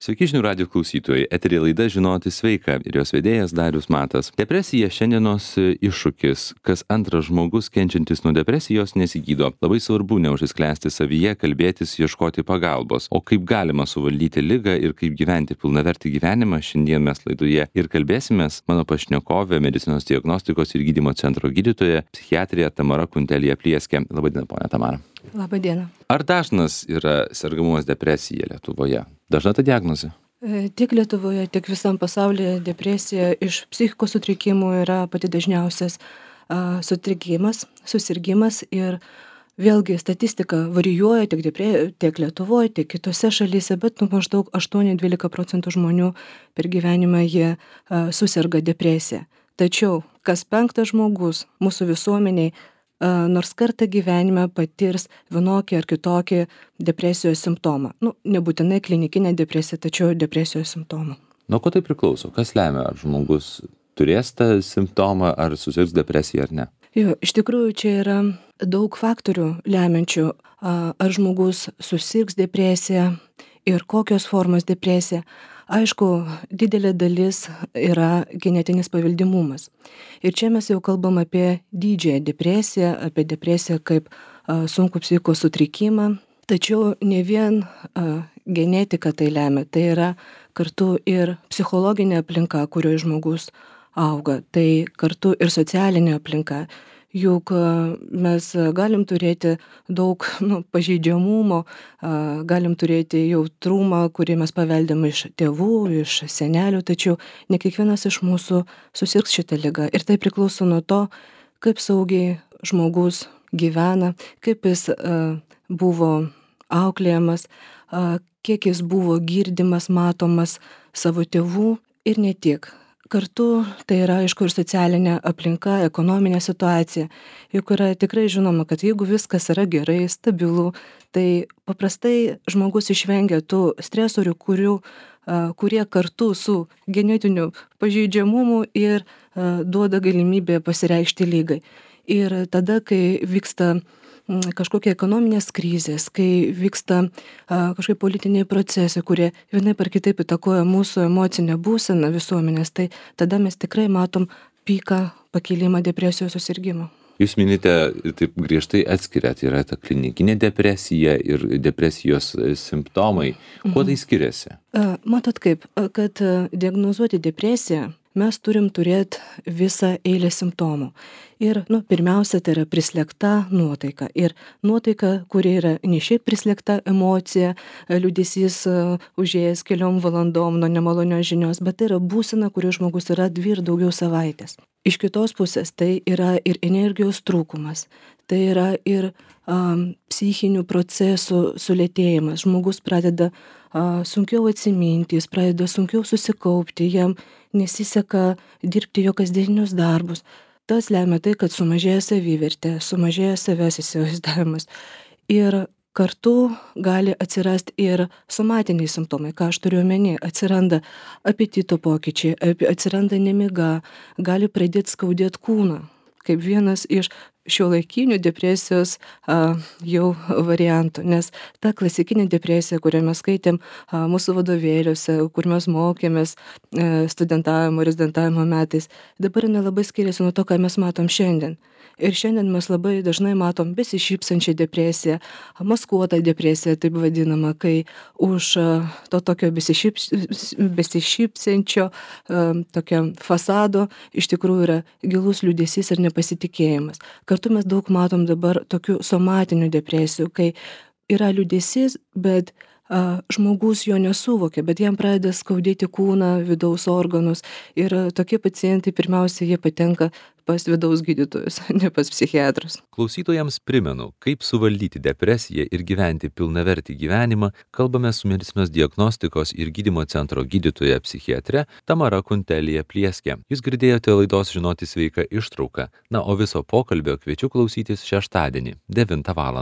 Sveiki žinių radijo klausytojai. Eteryje laida Žinoti sveika ir jos vedėjas Darius Matas. Depresija šiandienos iššūkis. Kas antras žmogus kenčiantis nuo depresijos nesigydo. Labai svarbu neužsisklęsti savyje, kalbėtis, ieškoti pagalbos. O kaip galima suvaldyti ligą ir kaip gyventi pilnavertį gyvenimą, šiandien mes laidoje ir kalbėsimės. Mano pašnekovė, medicinos diagnostikos ir gydymo centro gydytoja, psichiatrė Tamara Kuntelija Plieskė. Labadiena, ponia Tamara. Labadiena. Ar dažnas yra sergamumas depresija Lietuvoje? Dažna ta diagnozė? Tiek Lietuvoje, tiek visam pasaulyje depresija iš psichikos sutrikimų yra pati dažniausias sutrikimas, susirgimas ir vėlgi statistika varijuoja tiek Lietuvoje, tiek kitose šalyse, bet maždaug 8-12% žmonių per gyvenimą jie susirga depresija. Tačiau kas penktas žmogus mūsų visuomeniai nors kartą gyvenime patirs vienokį ar kitokį depresijos simptomą. Nebūtinai klinikinė depresija, tačiau depresijos simptomų. Nuo ko tai priklauso? Kas lemia, ar žmogus turės tą simptomą, ar susirgs depresija ar ne? Iš tikrųjų, čia yra daug faktorių lemiančių, ar žmogus susirgs depresija ir kokios formos depresija. Aišku, didelė dalis yra genetinis paveldimumas. Ir čia mes jau kalbam apie didžiąją depresiją, apie depresiją kaip sunkų psichikos sutrikimą. Tačiau ne vien genetika tai lemia, tai yra kartu ir psichologinė aplinka, kurioje žmogus auga, tai kartu ir socialinė aplinka. Juk mes galim turėti daug pažeidžiamumo, galim turėti jautrumą, kurį mes paveldėm iš tėvų, iš senelių, tačiau ne kiekvienas iš mūsų susirgs šitą ligą. Ir tai priklauso nuo to, kaip saugiai žmogus gyvena, kaip jis buvo auklėjamas, kiek jis buvo girdimas, matomas savo tėvų ir ne tik. Kartu tai yra, aišku, ir socialinė aplinka, ekonominė situacija. Juk yra tikrai žinoma, kad jeigu viskas yra gerai, stabilu, tai paprastai žmogus išvengia tų stresorių, kurie kartu su genetiniu pažeidžiamumu ir duoda galimybę pasireikšti lygai. Ir tada, kai vyksta kažkokie ekonominės krizės, kai vyksta kažkokie politiniai procesai, kurie vienaip ar kitaip įtakoja mūsų emocinę būseną visuomenės, tai tada mes tikrai matom piką pakilimą depresijos susirgimo. Jūs minite, taip griežtai atskiriat, yra ta klinikinė depresija ir depresijos simptomai. Kuo tai skiriasi? Matot kaip, kad diagnozuoti depresiją, mes turim turėti visą eilę simptomų. Ir, pirmiausia, tai yra prislėgta nuotaika. Ir nuotaika, kuri yra ne šiaip prislėgta emocija, liūdesys užėjęs keliom valandom nuo nemalonios žinios, bet tai yra būsena, kurioje žmogus yra 2 ir daugiau savaitės. Iš kitos pusės tai yra ir energijos trūkumas, tai yra ir psichinių procesų sulėtėjimas. Žmogus pradeda sunkiau atsiminti, jis pradeda sunkiau susikaupti, jam nesiseka dirbti jo kasdieninius darbus. Tas lemia tai, kad sumažėja savivertė, sumažėja savęs įsivaizdavimas. Ir kartu gali atsirasti ir somatiniai simptomai, ką aš turiu omeny, atsiranda apetito pokyčiai, atsiranda nemiga, gali pradėti skaudėti kūną, kaip vienas iš šiuolaikinių depresijos jau variantų, nes ta klasikinė depresija, kurią mes skaitėm mūsų vadovėliuose, kur mes mokėmės studentavimo, rezidentavimo metais, dabar nelabai skiriasi nuo to, ką mes matom šiandien. Ir šiandien mes labai dažnai matom besišypsančią depresiją, maskuotą depresiją, taip vadinama, kai už to tokio besišypsančio tokio fasado iš tikrųjų yra gilus liūdesys ir nepasitikėjimas. Kartu mes daug matom dabar tokių somatinių depresijų, kai yra liūdesys, bet žmogus jo nesuvokia, bet jam pradeda skaudėti kūną, vidaus organus ir tokie pacientai pirmiausia jie patenka pas vidaus gydytojus, ne pas psichiatrus. Klausytojams primenu, kaip suvaldyti depresiją ir gyventi pilnavertį gyvenimą, kalbame su medicinos diagnostikos ir gydymo centro gydytoja psichiatre Tamara Kuntelija Plieskė. Jūs girdėjote laidos Žinoti sveika ištrauką, o viso pokalbio kviečiu klausytis šeštadienį, 9 val.